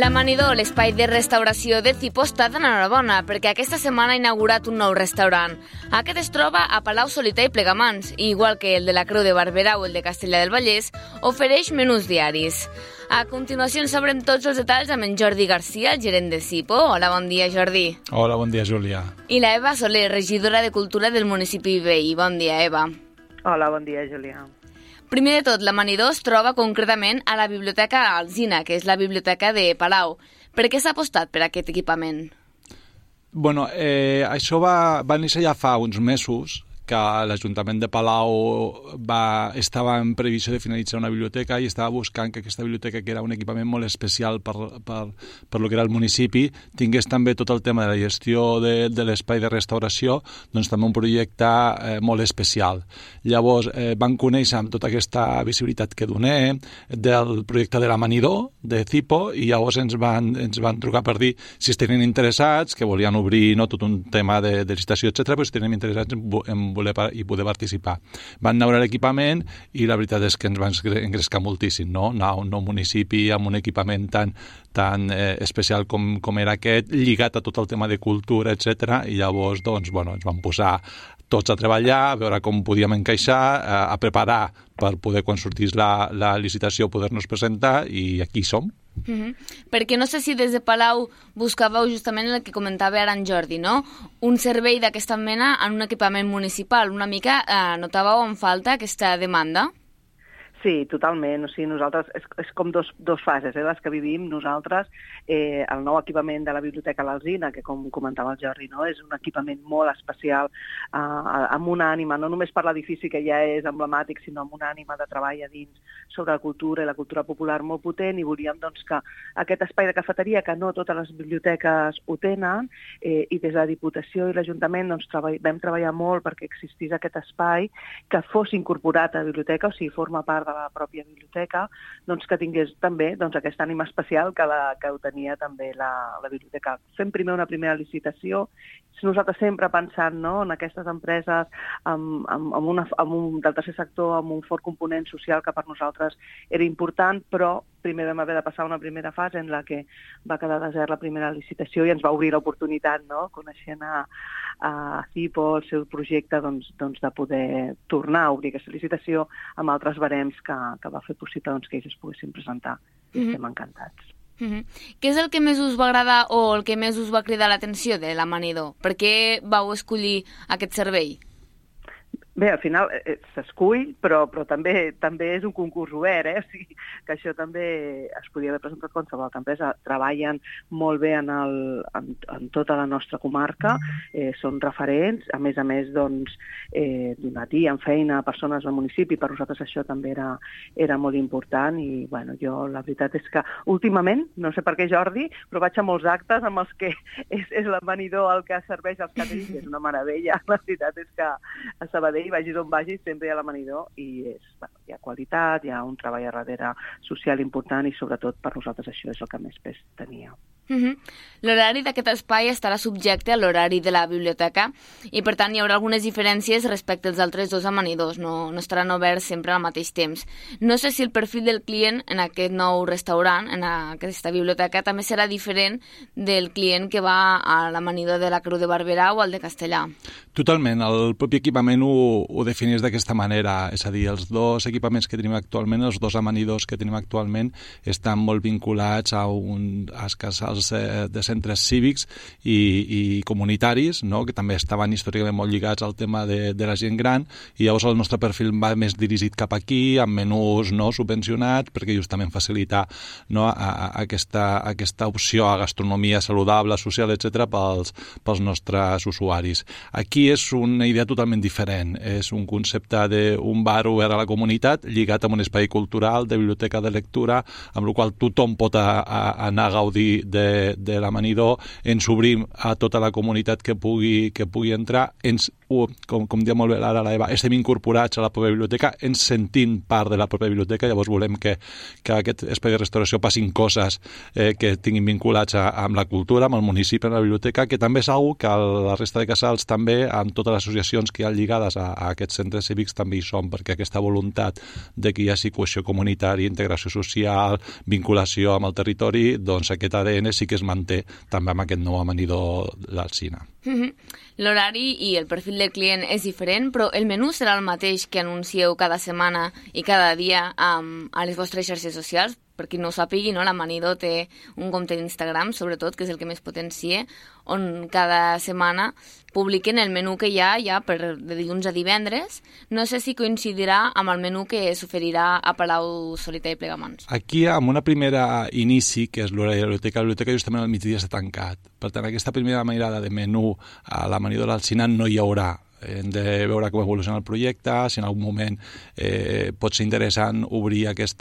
L'Amanidor, l'espai de restauració de Cipo, està d'enhorabona perquè aquesta setmana ha inaugurat un nou restaurant. Aquest es troba a Palau Solità i Plegamans, i igual que el de la Creu de Barberà o el de Castellar del Vallès, ofereix menús diaris. A continuació en sabrem tots els detalls amb en Jordi Garcia, el gerent de Cipo. Hola, bon dia, Jordi. Hola, bon dia, Júlia. I la Eva Soler, regidora de Cultura del municipi veí. Bon dia, Eva. Hola, bon dia, Júlia. Primer de tot, l'Amanidor es troba concretament a la Biblioteca Alsina, que és la biblioteca de Palau. Per què s'ha apostat per aquest equipament? Bueno, això va néixer ja fa uns mesos, que l'Ajuntament de Palau estava en previsió de finalitzar una biblioteca i estava buscant que aquesta biblioteca, que era un equipament molt especial per lo que era el municipi, tingués també tot el tema de la gestió de l'espai de restauració, doncs també un projecte molt especial. Llavors van conèixer amb tota aquesta visibilitat que donem del projecte de l'Amanidor, de Cipo, i llavors ens van trucar per dir si es tenien interessats, que volien obrir tot un tema de licitació, etc., però si tenien interessats en voler i poder participar. Van anar a l'equipament i la veritat és que ens van engrescar moltíssim, no? Anar a un nou municipi amb un equipament tan especial com era aquest, lligat a tot el tema de cultura, etc. I llavors doncs, ens vam posar tots a treballar, a veure com podíem encaixar, a preparar per poder, quan sortís la licitació, poder-nos presentar, i aquí som. Perquè no sé si des de Palau buscàveu justament el que comentava ara en Jordi, no? Un servei d'aquesta mena en un equipament municipal. Una mica notàveu en falta aquesta demanda? Sí, totalment. O sigui, nosaltres, és com dos fases, les que vivim nosaltres. El nou equipament de la Biblioteca L'Alsina, que com comentava el Jordi, no? És un equipament molt especial, amb una ànima, no només per l'edifici que ja és emblemàtic, sinó amb una ànima de treball a dins sobre la cultura i la cultura popular molt potent, i volíem doncs, que aquest espai de cafeteria, que no totes les biblioteques ho tenen, i des de la Diputació i l'Ajuntament doncs, vam treballar molt perquè existís aquest espai, que fos incorporat a la biblioteca, o sigui, forma part de la pròpia biblioteca, doncs que tingués també aquesta ànima especial que ho tenia també la biblioteca. Fem primer una primera licitació, nosaltres sempre pensant, no, en aquestes empreses del tercer sector amb un fort component social que per nosaltres era important, però primer vam haver de passar una primera fase en la que va quedar desert la primera licitació i ens va obrir l'oportunitat, no, coneixent a Cipo, el seu projecte, doncs, de poder tornar a obrir aquesta licitació amb altres barems que va fer possible que ells es poguessin presentar. Estem encantats. Què és el que més us va agradar o el que més us va cridar l'atenció de l'Amanidor? Per què vau escollir aquest servei? Bé, al final s'escull, però també és un concurs obert, o sigui que això també es podia haver presentat qualsevol empresa. Treballen molt bé en tota la nostra comarca, són referents, a més, doncs, donatien feina a persones del municipi, per nosaltres això també era molt important, i jo la veritat és que últimament, no sé per què Jordi, però vaig a molts actes amb els que és l'Amanidor el que serveix als caterings, és una meravella. La veritat és que a Sabadell, vagis on vagis, sempre hi ha l'Amanidor, i hi ha qualitat, hi ha un treball a darrere social important, i sobretot per nosaltres això és el que més pes tenia. L'horari d'aquest espai estarà subjecte a l'horari de la biblioteca i, per tant, hi haurà algunes diferències respecte als altres dos amanidors. No estaran oberts sempre al mateix temps. No sé si el perfil del client en aquest nou restaurant, en aquesta biblioteca, també serà diferent del client que va a l'amanidor de la Creu de Barberà o al de Castellar. Totalment. El propi equipament ho defineix d'aquesta manera. És a dir, els dos equipaments que tenim actualment, els dos amanidors que tenim actualment, estan molt vinculats a uns casals de centres cívics i comunitaris, no? Que també estaven històricament molt lligats al tema de la gent gran, i llavors el nostre perfil va més dirigit cap aquí, amb menús no subvencionats, perquè justament facilitar, no, aquesta opció a gastronomia saludable, social, etc. pels nostres usuaris. Aquí és una idea totalment diferent. És un concepte d'un bar obert a la comunitat, lligat amb un espai cultural, de biblioteca de lectura, amb el qual tothom pot anar a gaudir de de l'amanidor, ens obrim a tota la comunitat que pugui entrar, com diu molt bé ara l'Eva, estem incorporats a la pròpia biblioteca, ens sentim part de la pròpia biblioteca, llavors volem que aquest espai de restauració passin coses que tinguin vinculats amb la cultura, amb el municipi, amb la biblioteca, que també és una que la resta de casals també, amb totes les associacions que hi ha lligades a aquests centres cívics, també hi són, perquè aquesta voluntat de que hi hagi cohesió comunitària, integració social, vinculació amb el territori, doncs aquest ADN sí que es manté també amb aquest nou amanidor d'Alzina. L'horari i el perfil de client és diferent, però el menú serà el mateix que anuncieu cada setmana i cada dia a les vostres xarxes socials? Per qui no ho sàpigui, no? L'amanidor té un compte d'Instagram, sobretot, que és el que més potencia, on cada setmana publiquen el menú que hi ha ja de dilluns a divendres. No sé si coincidirà amb el menú que s'oferirà a Palau Solità i Plegamans. Aquí, amb una primera inici, que és l'horari de la biblioteca justament al migdia està tancat. Per tant, aquesta primera mirada de menú a l'amanidor d'Alzina no hi haurà. Hem de veure com evoluciona el projecte, si en algun moment pot ser interessant obrir aquest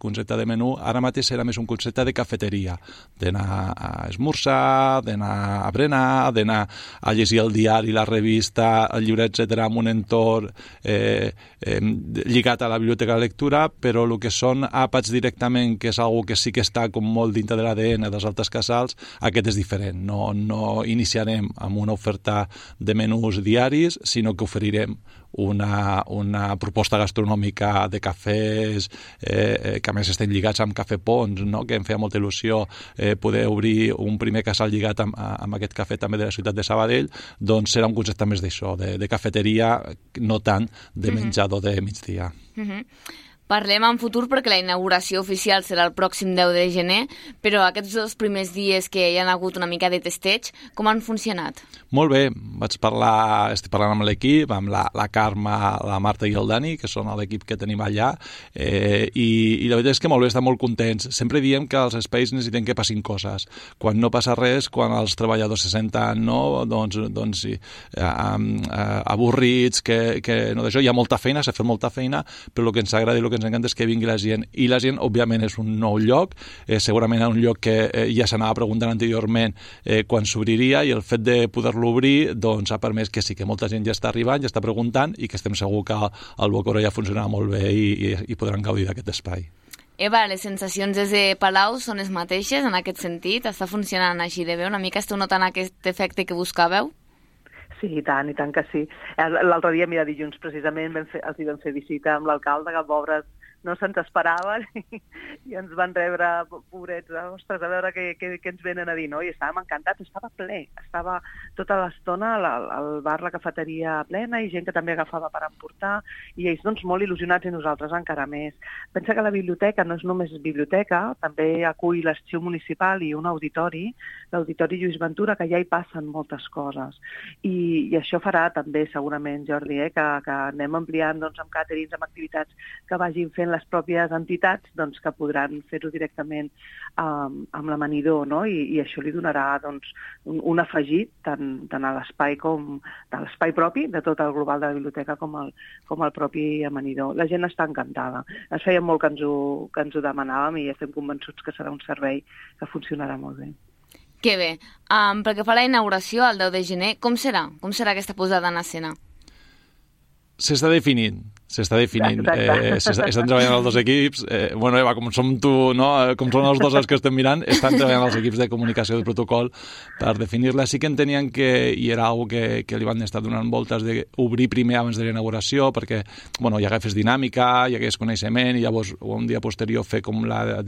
concepte de menú. Ara mateix serà més un concepte de cafeteria, d'anar a esmorzar, d'anar a berenar, d'anar a llegir el diari, la revista, el llibre, etc., en un entorn lligat a la biblioteca de lectura, però el que són àpats directament, que és una que sí que està com molt dintre de l'ADN dels altres casals, aquest és diferent. No iniciarem amb una oferta de menús diaris, sinó que oferirem una proposta gastronòmica de cafès que a més estem lligats amb Cafè Pons, no? Que em feia molta il·lusió poder obrir un primer casal lligat amb aquest cafè també de la ciutat de Sabadell. Doncs serà un concepte més d'això, de cafeteria, no tant de menjador de migdia. Parlem en futur perquè la inauguració oficial serà el pròxim 10 de gener, però aquests 2 primers dies que hi ha hagut una mica de testeig, com han funcionat? Molt bé, estic parlant amb l'equip, amb la Carme, la Marta i el Dani, que són l'equip que tenim allà, i la veritat és que molt bé, estan molt contents. Sempre diem que els espais necessiten que passin coses. Quan no passa res, quan els treballadors se senten doncs avorrits, que no d'això, hi ha molta feina, s'ha fet molta feina, però el que ens agrada i el que ens encanta és que vingui la gent. I la gent, òbviament, és un nou lloc, segurament un lloc que ja s'anava preguntant anteriorment quan s'obriria, i el fet de poder-lo obrir doncs ha permès que sí, que molta gent ja està arribant, ja està preguntant, i que estem segurs que el Bocoró ja funcionarà molt bé i podran gaudir d'aquest espai. Eva, les sensacions des de Palau són les mateixes en aquest sentit? Està funcionant així de bé? Una mica esteu notant aquest efecte que buscàveu? Sí, i tant que sí. L'altre dia, mira, dilluns precisament els hi vam fer visita amb l'alcalde, que pobres no se'ns esperaven i ens van rebre, pobrets, ostres, a veure què ens venen a dir, no? I estàvem encantats, estava ple, estava tota l'estona al bar, la cafeteria plena, i gent que també agafava per emportar, i ells doncs molt il·lusionats, i nosaltres encara més. Pensa que la biblioteca no és només biblioteca, també acull l'Arxiu Municipal i un auditori, l'Auditori Lluís Ventura, que ja hi passen moltes coses. I això farà també, segurament, Jordi, que anem ampliant doncs, amb càterings, amb activitats que vagin fent les pròpies entitats, doncs, que podran fer-ho directament amb l'amanidor, no? I això li donarà doncs, un afegit tant a l'espai com a l'espai propi de tot el global de la biblioteca com el propi amanidor. La gent està encantada. Es feia molt que ens ho demanàvem, i estem convençuts que serà un servei que funcionarà molt bé. Que bé. Pel que fa a la inauguració, el 10 de gener, com serà? Com serà aquesta posada en escena? S'està definint. Estan treballant els dos equips. Bueno, Eva, com som tu, no? Com són els dos els que estem mirant, estan treballant els equips de comunicació del protocol per definir-la. Sí que entenien que hi era alguna que li van estar donant voltes d'obrir primer abans de la inauguració, perquè hi hagués dinàmica, hi hagués coneixement, i llavors un dia posterior fer com la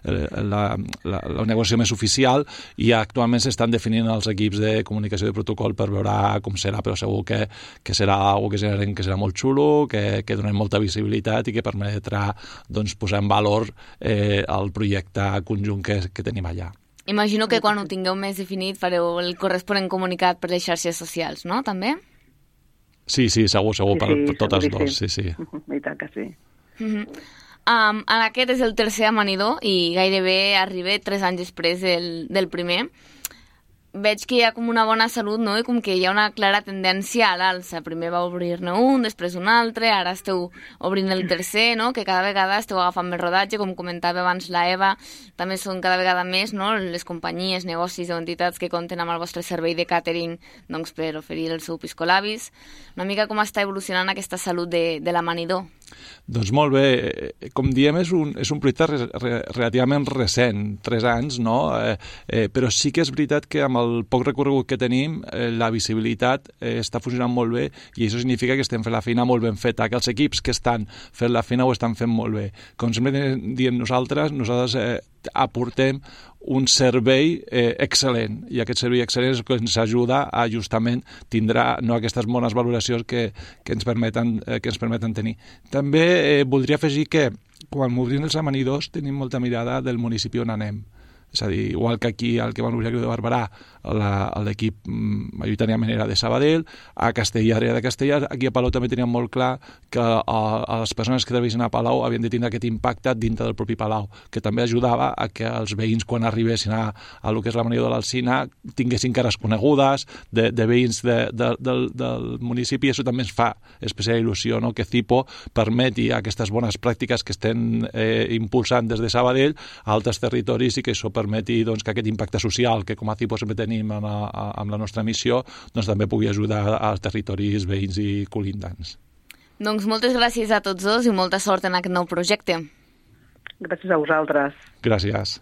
inauguració més oficial, i actualment s'estan definint els equips de comunicació de protocol per veure com serà, però segur que serà alguna que serà molt xulo, que donem molta visibilitat i que permetrà doncs, posar en valor el projecte conjunt que tenim allà. Imagino que quan ho tingueu més definit fareu el corresponent comunicat per les xarxes socials, no? També? Sí, segur, per totes dues, sí. I tant que sí. Aquest és el tercer amanidor i gairebé arriba 3 anys després del primer. veig que hi ha com una bona salut, no? I com que hi ha una clara tendència a l'alça. Primer va obrir-ne un, després un altre, ara esteu obrint el tercer, no? Que cada vegada esteu agafant més rodatge, com comentava abans la Eva, també són cada vegada més, no? Les companyies, negocis o entitats que compten amb el vostre servei de càtering, doncs, per oferir el seu piscolabis. Una mica com està evolucionant aquesta salut de l'amanidor? Doncs molt bé, com diem, és un projecte relativament recent, 3 anys, no? Però sí que és veritat que amb el poc recorregut que tenim, la visibilitat està funcionant molt bé i això significa que estem fent la feina molt ben feta, que els equips que estan fent la feina ho estan fent molt bé. Com sempre diem nosaltres aportem un servei excel·lent i aquest servei excel·lent és el que ens ajuda a justament tindrà aquestes bones valoracions que ens permeten tenir. També voldria afegir que quan obrim els amanidors tenim molta mirada del municipi on anem. És a dir, igual que aquí al que van obrir de Barberà l'equip majoritàriament era de Sabadell, a Castellar era de Castellar, aquí a Palau també teníem molt clar que les persones que treballessin a Palau havien de tindre aquest impacte dintre del propi Palau, que també ajudava a que els veïns quan arribessin a lo que és l'amanidor de l'Alzina tinguessin cares conegudes de veïns del municipi, i això també ens fa especial il·lusió, no? Que Cipo permeti aquestes bones pràctiques que estem impulsant des de Sabadell a altres territoris i que això permeti que aquest impacte social que com a Cipo sempre tenim amb la nostra missió també pugui ajudar als territoris veïns i colindants. Doncs moltes gràcies a tots dos i molta sort en aquest nou projecte. Gràcies a vosaltres. Gràcies.